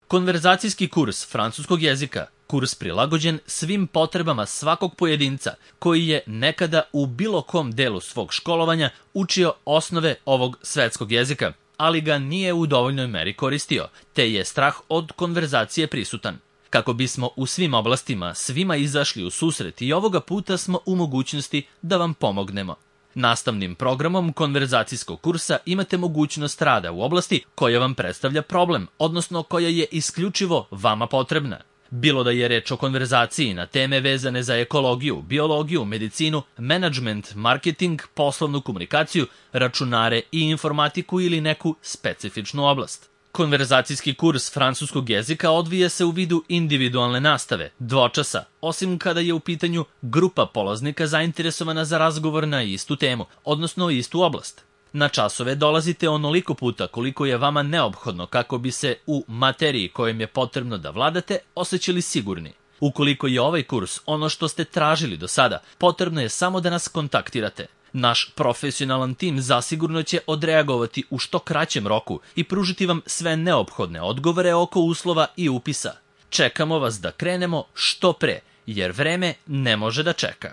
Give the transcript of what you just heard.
Konverzacijski kurs francuskog jezika, kurs prilagođen svim potrebama svakog pojedinca koji je nekada u bilo kom delu svog školovanja učio osnove ovog svetskog jezika, ali ga nije u dovoljnoj meri koristio, te je strah od konverzacije prisutan. Kako bismo u svim oblastima svima izašli u susret i ovoga puta smo u mogućnosti da vam pomognemo. Nastavnim programom konverzacijskog kursa imate mogućnost rada u oblasti koja vam predstavlja problem, odnosno koja je isključivo vama potrebna. Bilo da je reč o konverzaciji na teme vezane za ekologiju, biologiju, medicinu, menadžment, marketing, poslovnu komunikaciju, računare i informatiku ili neku specifičnu oblast. Konverzacijski kurs francuskog jezika odvija se u vidu individualne nastave, dvočasa, osim kada je u pitanju grupa polaznika zainteresovana za razgovor na istu temu, odnosno istu oblast. Na časove dolazite onoliko puta koliko je vama neophodno kako bi se u materiji kojom je potrebno da vladate osjećali sigurni. Ukoliko je ovaj kurs ono što ste tražili do sada, potrebno je samo da nas kontaktirate. Naš profesionalan tim zasigurno će odreagovati u što kraćem roku i pružiti vam sve neophodne odgovore oko uslova i upisa. Čekamo vas da krenemo što pre, jer vreme ne može da čeka.